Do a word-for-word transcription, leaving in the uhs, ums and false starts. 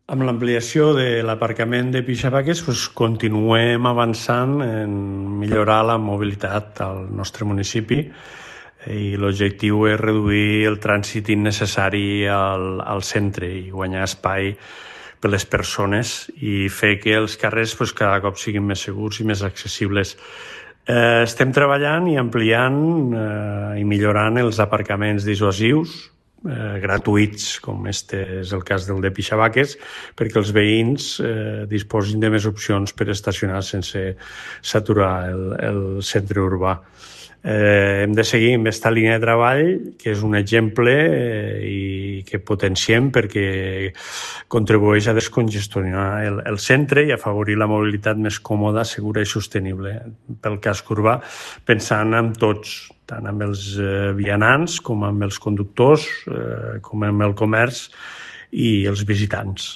Amb l'ampliació de l'aparcament de Pixabaques doncs, continuem avançant en millorar la mobilitat al nostre municipi i l'objectiu és reduir el trànsit innecessari al, al centre i guanyar espai per les persones i fer que els carrers doncs, cada cop siguin més segurs i més accessibles. Eh, estem treballant i ampliant eh, i millorant els aparcaments dissuasius, Eh, gratuïts, com este és el cas del de Pixabaques, perquè els veïns eh, disposin de més opcions per estacionar sense saturar el, el centre urbà. Eh, hem de seguir amb aquesta línia de treball, que és un exemple eh, i que potenciem perquè contribueix a descongestionar el, el centre i afavorir la mobilitat més còmoda, segura i sostenible pel casc urbà, pensant en tots, tant amb els eh, vianants com amb els conductors, eh, com amb el comerç i els visitants.